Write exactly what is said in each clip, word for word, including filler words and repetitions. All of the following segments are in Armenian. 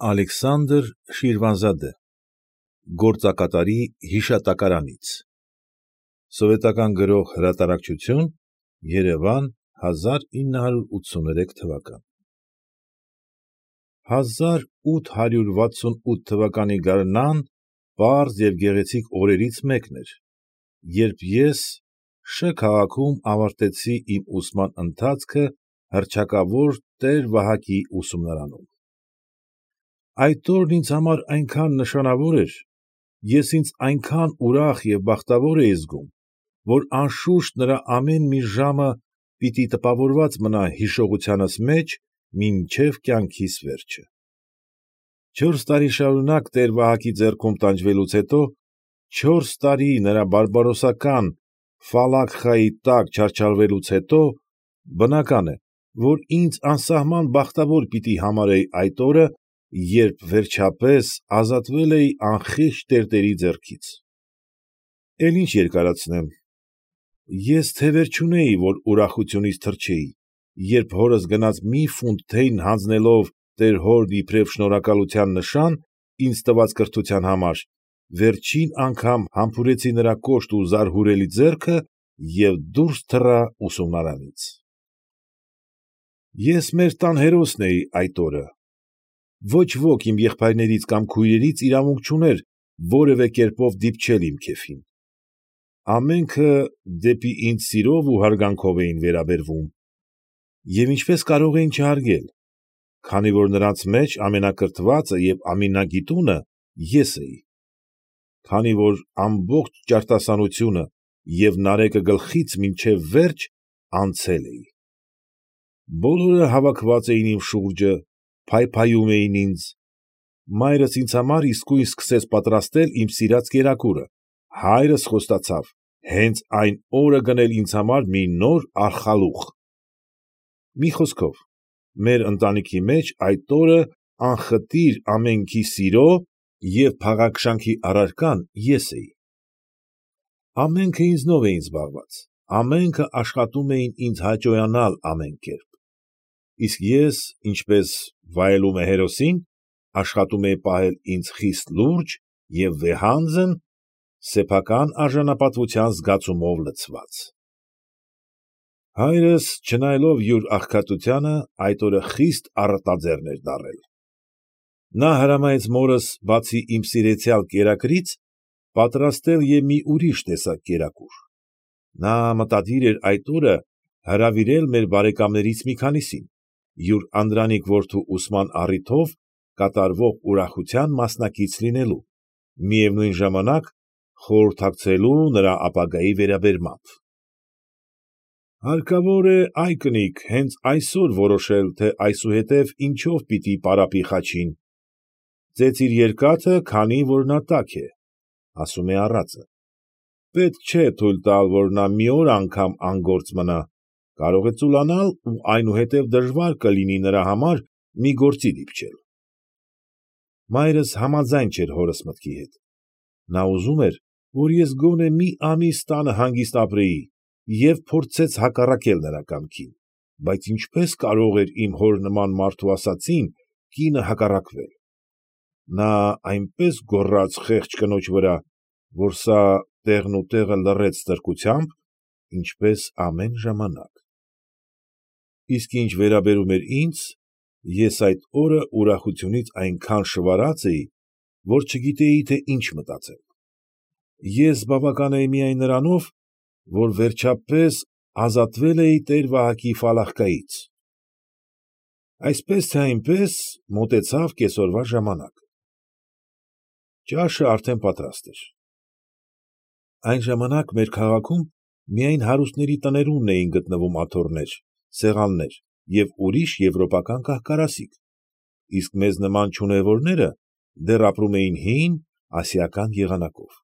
Ալեքսանդր Շիրվանզադե Գործակատարի հիշատակարանից Սովետական Գրող Հրատարակչություն Երևան հազար ինը հարյուր ութսուներեք թվական Հազար ութ հարյուր վաթսունութ թվականի գարնան պարզ և գեղեցիկ օրերից մեկն էր, երբ ես Շ քաղաքում ավարտեցի իմ ուսման ընթացքը հռչակավոր տեր֊Վահակի ուսումնարանում։ Այդ օրն ինձ համար այնքան նշանավոր էր, ես ինձ այնքան ուրախ և բախտավոր էի զգում, որ անշուշտ նրա ամեն մի ժամը պիտի տպավորված մնա հիշողությանս մեջ մինչև կյանքիս վերջը։ Չորս տարի շարունակ տեր֊Վահակի ձեռքում տանջվելուց հետո, չորս տարի նրա բարբարոսական ֆալախկայի տակ չարչարվելուց հետո, բնական է, որ ինձ անսահման բախտավոր պիտի համարեի այդ օրը, երբ վերջապես ազատվել էի անխիղճ տերտերի ձեռքից։ Էլ ինչ երկարացնեմ, ես թևեր չունեի, որ ուրախությունից թռչեի, երբ հորս գնած մի ֆունտ թեյն հանձնելով տեր հորն իբրև շնորհակալության նշան ինձ տված կրթության համար, վերջին անգամ համբուրեցի նրա կոշտ ու զարհուրելի ձեռքը և դուրս թռա ուսումնարանից։ Ես մեր տան հերոսն էի այդ օրը։ Ոչ ոք իմ եղբայրներից կամ քույրերից իրավունք չուներ որևէ կերպով դիպչել իմ քեֆին։ Ամենքը դեպի ինձ սիրով ու հարգանքով էին վերաբերվում։ Եվ ինչպես կարող էին չհարգել, քանի որ նրանց մեջ ամենակրթվածը և ամենագիտունը ես էի, քանի որ ամբողջ ճարտասանությունը և Նարեկը գլխից մինչև վերջ անցել էի։ Բոլորը հավաքված էին իմ շուրջը, փայփայում էին ինձ։ Մայրս ինձ համար իսկույն սկսեց պատրաստել իմ սիրած կերակուրը, հայրս խոստացավ հենց այն օրը գնել ինձ համար մի նոր արխալուղ։ Մի խոսքով, մեր ընտանիքի մեջ այդ օրը անխտիր ամենքի սիրո և փաղաքշանքի առարկան ես էի։ Ամենքը ինձնով էին զբաղված, ամենքը աշխատում էին ինձ հաճոյանալ ամեն կերպ, իսկ ես, ինչպես վայելում է հերոսին, աշխատում էի պահել ինձ խիստ լուրջ և վեհանձն, սեփական արժանապատվության զգացումով լցված։ Հայրս, չնայելով յուր աղքատությանը, այդ օրը խիստ առատաձեռն էր դառել։ Նա հրամայեց մորս, բացի իմ սիրեցյալ կերակրից, պատրաստել և մի ուրիշ տեսակ կերակուր։ Նա մտադիր էր այդ օրը հրավիրել մեր բարեկամներից մի քանիսին, յուր անդրանիկ որդու ուսման առիթով կատարվող ուրախության մասնակից լինելու, միևնույն ժամանակ խորհրրդակցելու նրա ապագայի վերաբերմամբ։ Հարկավոր է, ա՛յ կնիկ, հենց այսօր որոշել, թե այսուհետև ինչով պիտի պարապի Խաչին։ Ծեծիր երկաթը, քանի որ նա տաք է, ասում է առածը։ Պետք չէ թույլ տալ, որ նա մի օր անգամ անգործ մնա, կարող է ծուլանալ ու այնուհետև դժվար կլինի նրա համար մի գործի դիպչել։ Մայրս համաձայն չէր հորս մտքի հետ։ Նա ուզում էր, որ ես գոնե մի ամիս տանը հանգիստ ապրեի և փորձեց հակառակել նրա կամքին, բայց ինչպե՞ս կարող էր իմ հոր նման մարդու ասածին կինը հակառակվել։ Նա այնպես գոռաց խեղճ կնոջ վրա, որ սա տեղնուտեղը լռեց ստրկությամբ, ինչպես ամեն ժամանակ։ Իսկ ինչ վերաբերում էր ինձ, ես այդ օրը ուրախությունից այնքան շվարած էի, որ չգիտեի, թե ինչ մտածել։ Ես բավական էի միայն նրանով, որ վերջապես ազատվել էի տեր֊Վահակի ֆալախկայից։ Այսպես թե այնպես մոտեցավ կեսօրվա ժամանակը։ Ճաշը արդեն պատրաստ էր։ Այն ժամանակ մեր քաղաքում միայն հարուստների տներումն էին գտնվում աթոռներ, սեղաններ և ուրիշ եվրոպական կահ֊կարասիք, իսկ մեզ նման չունևորները դեռ ապրում էին հին, ասիական եղանակով։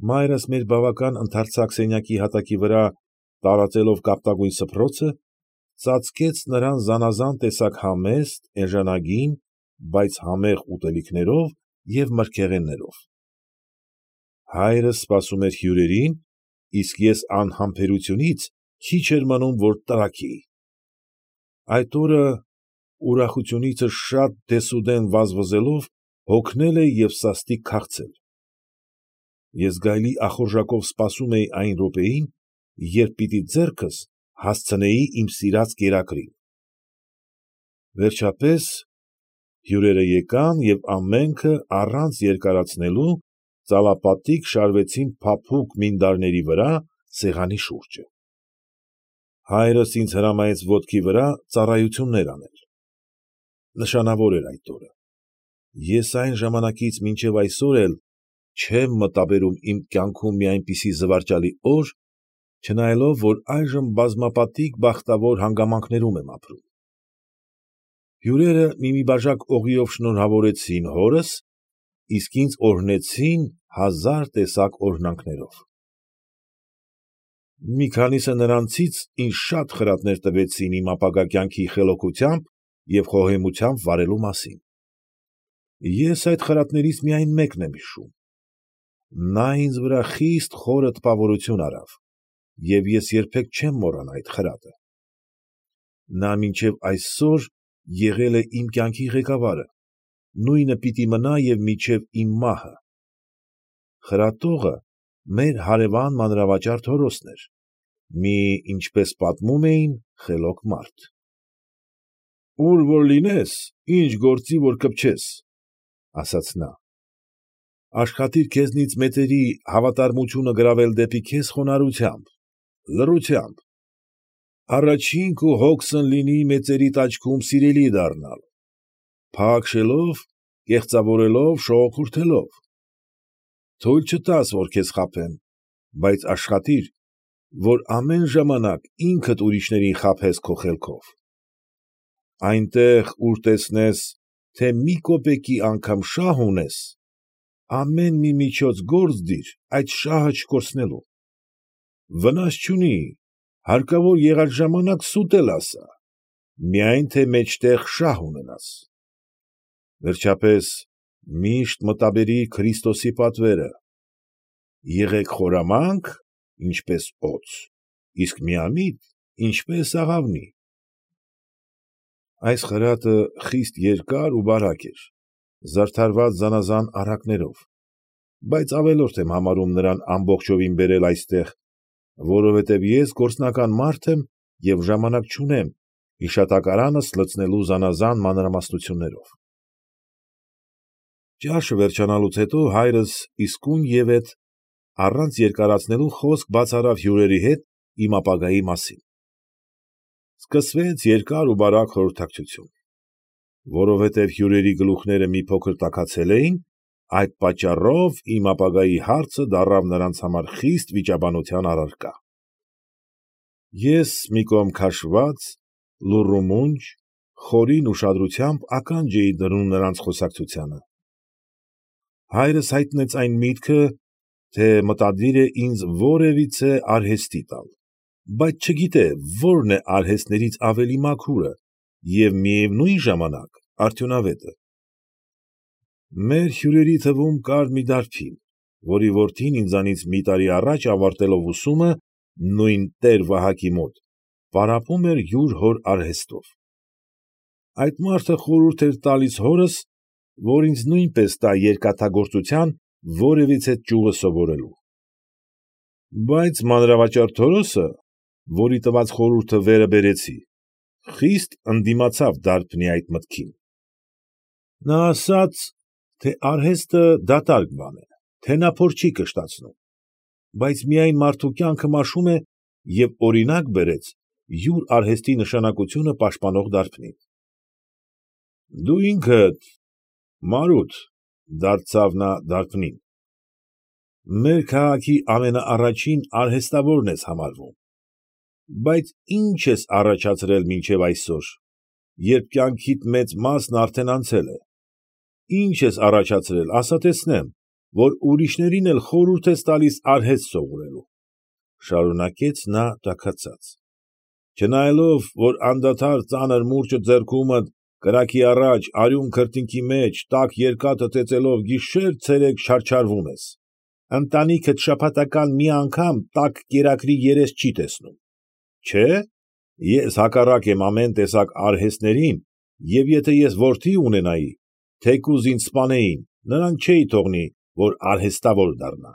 Մայրս մեր բավական ընդարձակ սենյակի հատակի վրա տարածելով կապտագույն սփռոցը, ծածկեց նրան զանաղան տեսակ համեստ, էժանագին, բայց համեղ ուտելիքներով և մրգեղեններով։ Հայրս սպասում էր հյուրերին, իսկ ես անհամբերությունից քիչ էր մնում, որ տրաքեի։ Այդ օրը ուրախությունիցս շատ դեսուդեն վազվզելով հոգնել էի և սաստիկ քաղցել։ Ես գայլի ախորժակով սպասում էի այն րոպեին, երբ պիտի ձեռքս հասցնեի իմ սիրած կերակրին։ Վերջապես, հյուրերը եկան և ամենքը առանց երկարացնելու ծալապատիկ շարվեցին փափուկ մինդարների վրա սեղանի շուրջը։ Հայրս ինձ հրամայեց ոտքի վրա ծառայություններ անել։ Նշանավոր էր այդ օրը։ Ես այն ժամանակից մինչև այսօր էլ չեմ մտաբերում իմ կյանքում մի այնպիսի զվարճալի օր, չնայելով, որ այժմ բազմապատիկ բախտավոր հանգամանքներում եմ ապրում։ Հյուրերը մի֊մի բաժակ օղիով շնորհավորեցին հորս, իսկ ինձ օրհնեցին հազար տեսակ օրհնանքներով։ Մի քանիսը նրանցից ինձ շատ խրատներ տվեցին իմ ապագա կյանքի խելոքությամբ և խոհեմությամբ վարելու մասին։ Ես այդ խրատներից միայն մեկն եմ հիշում։ Նա ինձ վրա խիստ խորը տպավորություն արավ, և ես երբեք չեմ մոռանա այդ խրատը։ Նա մինչև այսօր եղել է իմ կյանքի ղեկավարը, նույնը պիտի մնա և մինչև իմ մահը։ Խրատողը մեր հարևան մանրավաճառ Թորոսն էր, մի, ինչպես պատմում էին, խելոք մարդ։ «Ուր որ լինես, ինչ գործի որ կպչես», ֊ ասաց նա, «աշխատիր քեզնից մեծերի հավատարմությունը գրավել դեպի քեզ խոնարհությամբ, լռությամբ, առաջին քո հոգսն լինի մեծերիդ աչքում սիրելի դառնալ, փաղաքշելով, կեղծավորելով, շողոքորթելով։ Թույլ չտաս, որ քեզ խաբեն, բայց աշխատիր, որ ամեն ժամանակ ինքդ ուրիշներին խաբես քո խելքով։ Այնտեղ, ուր տեսնես, թե մի կոպեկի անգամ շահ ունես, ամեն մի միջոց գործ դիր այդ շահը չկորցնելու։ Վնաս չունի, հարկավոր եղած ժամանակ սուտ էլ ասա, միայն թե մեջտեղ շահ ունենաս։ Վերջապես, միշտ մտաբերիր Քրիստոսի պատվերը. եղեք խորամանկ, ինչպես օձ, իսկ միամիտ, ինչպես աղավնի։ Այս խրատը խիստ երկար ու բարակ էր, զարդարված զանազան առակներով, բայց ավելորդ եմ համարում նրան ամբողջովին բերել այստեղ, որովհետև ես գործնական մարդ եմ և ժամանակ չունեմ հիշատակարանս լցնելու զանազան մանրամասնություններով։ Ճաշը վերջանալուց հետո հայրս իսկույնևեթ առանց երկարացնելու խոսք բաց արավ հյուրերի հետ իմ ապագայի մասին։ Սկսվեց երկար ու բարակ խորհրդակցություն։ Որովհետև հյուրերի գլուխները մի փոքր տաքացել էին, այդ պատճառով իմ ապագայի հարցը դառավ նրանց համար խիստ վիճաբանության առարկա։ Ես մի կողմ քաշված, լուռ ու մունջ, խորին ուշադրությամբ ականջ էի դնում նրանց խոսակցությանը։ Հայրս հայտնեց այն միտքը, թե մտադիր է ինձ որևիցե արհեստի տալ, բայց չգիտե որն է արհեստներից ավելի մաքուրը և միևնույն ժամանակ արդյունավետը։ Մեր հյուրերի թվում կար մի դարբին, որի որդին ինձանից մի տարի առաջ ավարտելով ուսումը նույն տեր֊Վահակի մոտ, պարապում էր յուր հոր արհեստով։ Այդ մարդը խորհուրդ էր տալիս հորս, որ ինձ նույնպես տա երկաթագործության որևիցե ճյուղը սովորելու։ Բայց մանրավաճառ Թորոսը, որի տված խորհուրդը վերը բերեցի, խիստ ընդդիմացավ դարբնի այդ մտքին։ Նա ասաց, թե արհեստը դատարկ բան է, թե նա փոր չի կշտացնում, բայց միայն մարդու կյանքը մաշում է և օրինակ բերեց յուր արհեստի նշանակությունը պաշտպանող դարբնին։ Դու ինքդ, Մարութ, ֊ դարձավ նա դարբնին, ֊ մեր քաղաքի ամենաառաջին արհեստավորն ես համարվում, բայց ի՞նչ ես առաջացրել մինչև այսօր, երբ կյանքիդ մեծ մասն արդեն անցել է, ի՞նչ ես առաջացրել, ասա տեսնեմ, որ ուրիշներին էլ խորհուրդ ես տալիս արհեստ սովորելու, ֊ շարունակեց նա տաքացած, ֊ չնայելով, որ անդադար ծանր մուրճը ձեռքումդ, կրակի առաջ, արյուն քրտինքի մեջ, տաք երկաթը ծեծելով գիշեր֊ցերեկ չարչարվում ես, ընտանիքդ շաբաթական մի անգամ տաք կերակրի երես չի տեսնում, չէ՞, ես հակառակ եմ ամեն տեսակ արհեստներին Եվ եթե ես որդի ունենայի, թեկուզ ինձ սպանեին, նրան չէի թողնի, որ արհեստավոր դառնա։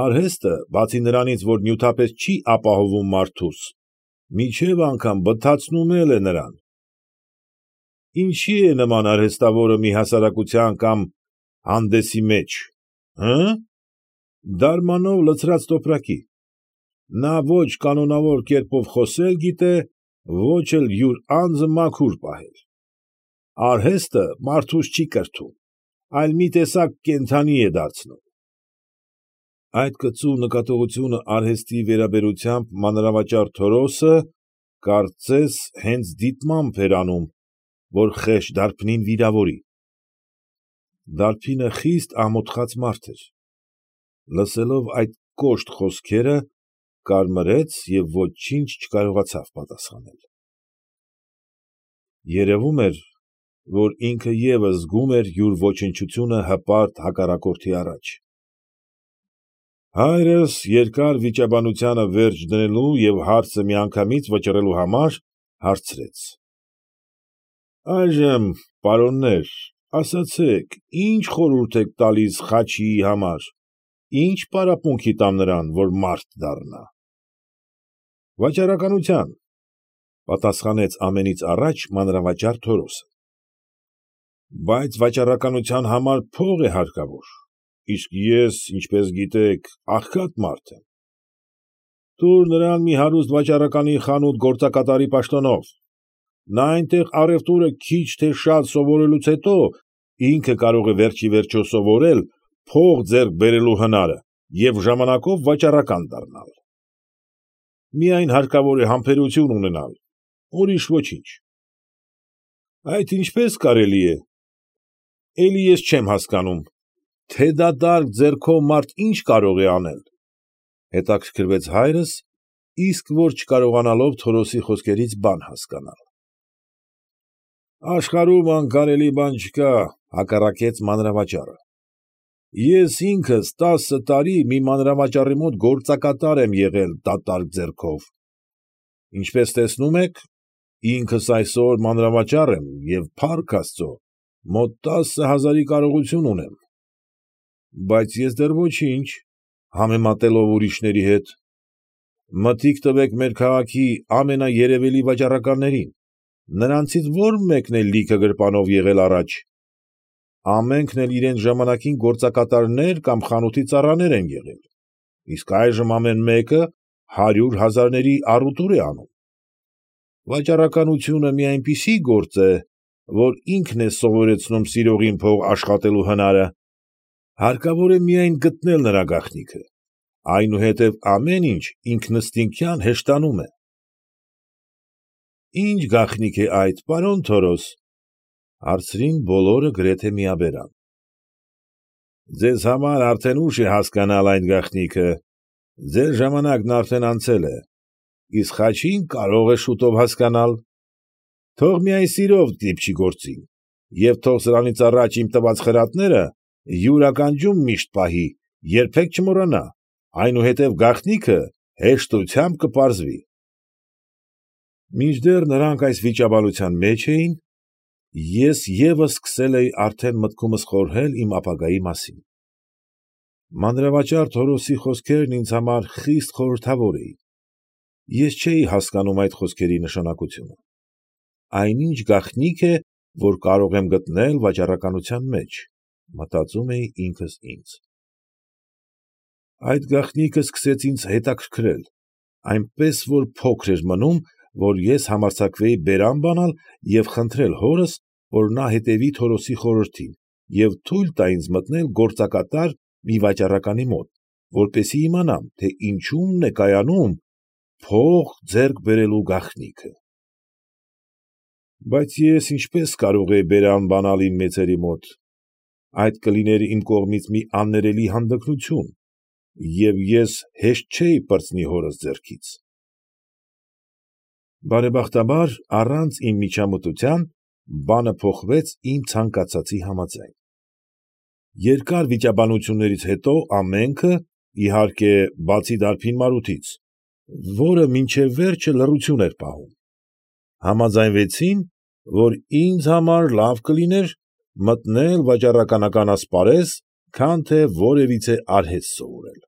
Արհեստը, բացի նրանից, որ նյութապես չի ապահովում մարդուս, մինչև անգամ բթացնում էլ է նրան։ Ինչի՞ է նման արհեստավորը մի հասարակության կամ հանդեսի մեջ, հը՞։ Դարմանով լցրած տոպրակի։ Նա ոչ կանոնավոր կերպով խոսել գիտե, ոչ էլ յուր անձը մաքուր պահել։ Արհեստը մարդուս չի կրթում, այլ մի տեսակ կենդանի է դարձնում։ Այդ կծու նկատողությունը արհեստի վերաբերությամբ մանրավաճառ Թորոսը, կարծես, հենց դիտմամբ էր անում, որ խեղճ դարբնին վիրավորի։ Դարբինը խիստ ամոթխած մարդ էր։ Լսելով այդ կոշտ խոսքերը, կարմրեց և ոչինչ չկարողացավ պատասխանել։ Երևում էր, որ ինքը ևս զգում էր յուր ոչնչությունը հպարտ հակառակորդի առաջ։ Հայրս երկար վիճաբանությանը վերջ դնելու և հարցը միանգամից վճռելու համար հարցրեց. ֊ Այժմ, պարոններ, ասացեք, ի՞նչ խորհուրդ եք տալիս Խաչիի համար, ի՞նչ պարապմունքի տամ նրան, որ մարդ դառնա։ ֊ Վաճառականության, ֊ պատասխանեց ամենից առաջ մանրավաճառ Թորոսը։ ֊ Բայց վաճառականության համար փող է հարկավոր, իսկ ես, ինչպես գիտեք, աղքատ մարդ եմ։ ֊ Տուր նրան մի հարուստ վաճառականի խանութ գործակատարի պաշտոնով, նա այնտեղ առուտուրը քիչ թե շատ սովորելուց հետո ինքը կարող է վերջ ի վերջո սովորել փող ձեռք բերելու հնարը և ժամանակով վաճառական դառնալ։ Միայն հարկավոր է համբերություն ունենալ, ուրիշ ոչինչ։ ֊ Այդ ինչպե՞ս կարելի է, էլի ես չեմ հասկանում, թե դատարկ ձեռքով մարդ ինչ կարող է անել, ֊ հետաքրքրվեց հայրս, իսկ որ չկարողանալով Թորոսի խոսքերից բան հասկանալ։ ֊ Աշխարհում անկարելի բան չկա, ֊ հակառակեց մանրավաճառը։ Ես ինքս տասը տարի մի մանրավաճառի մոտ գործակատար եմ եղել դատարկ ձեռքով։ Ինչպես տեսնում եք, ինքս այսօր մանրավաճառ եմ և, փառք աստուծո, մոտ տասը հազարի կարողություն ունեմ։ Բայց ես դեռ ոչինչ, համեմատելով ուրիշների հետ։ Մտիկ տվեք մեր քաղաքի ամենաերևելի վաճառականներին, նրանցից ո՞ր մեկն է լիքը գրպանով եղել առաջ։ Ամենքն էլ իրենց ժամանակին գործակատարներ կամ խանութի ծառաներ են եղել, իսկ այժմ ամեն մեկը հարյուր հազարների առուտուր է անում։ Վաճառականությունը մի այնպիսի գործ է, որ ինքն է սովորեցնում սիրողին փող աշխատելու հնարը, հարկավոր է միայն գտնել նրա գաղտնիքը, այնուհետև ամեն ինչ ինքնըստինքյան հեշտանում է։ ֊ Ի՞նչ գաղտնիք է այդ, պարոն Թորոս, ֊ հարցրին բոլորը գրեթե միաբերան։ ֊ Ձեզ համար արդեն ուշ է հասկանալ այդ գաղտնիքը, ձեր ժամանակն արդեն անցել է, իսկ Խաչին կարող է շուտով հասկանալ։ Թող միայն սիրով դիպչի գործին և թող սրանից առաջ իմ տված խրատները յուր ականջում միշտ պահի, երբեք չմոռանա, այնուհետև գաղտնիքը հեշտությամբ կպարզվի։ Մինչդեռ նրանք այս վիճաբանության մեջ էին, ես ևս սկսել էի արդեն մտքումս խորհել իմ ապագայի մասին։ Մանրավաճառ Թորոսի խոսքերն ինձ համար խիստ խորհրդավոր էին։ Ես չէի հասկանում այդ խոսքերի նշանակությունը։ Այնինչ գաղտնիք է, որ կարող եմ գտնել վաճառականության մեջ, մտածում էի ինքս ինձ։ Այդ գաղտնիքը սկսեց ինձ հետաքրքրել, այնպես որ փոքր էր մնում, որ ես համարձակվեի բերան բանալ և խնդրել հորս, որ նա հետևի Թորոսի խորհրդին և թույլ տա ինձ մտնել գործակատար մի վաճառականի մոտ, որպեսզի իմանամ, թե ինչումն է կայանում փող ձեռք բերելու գաղտնիքը։ Բայց ես ինչպես կարող էի բերան բանալ իմ մեծերի մոտ, այդ կլիներ իմ կողմից մի աններելի հանդգնություն, և ես հեշտ չէի պրծնի հորս ձեռքից։ Բարեբախտաբար, առանց իմ միջամտության, բանը փոխվեց իմ ցանկացածի համաձայն։ Երկար վիճաբանություններից հետո ամենքը, իհարկե, բացի դարբին Մարութից, որը մինչև վերջը լռություն էր պահում, համաձայնվեցին, որ ինձ համար լավ կլիներ մտնել վաճառականական ասպարեզ, քան թե որևիցե արհեստ սովորել։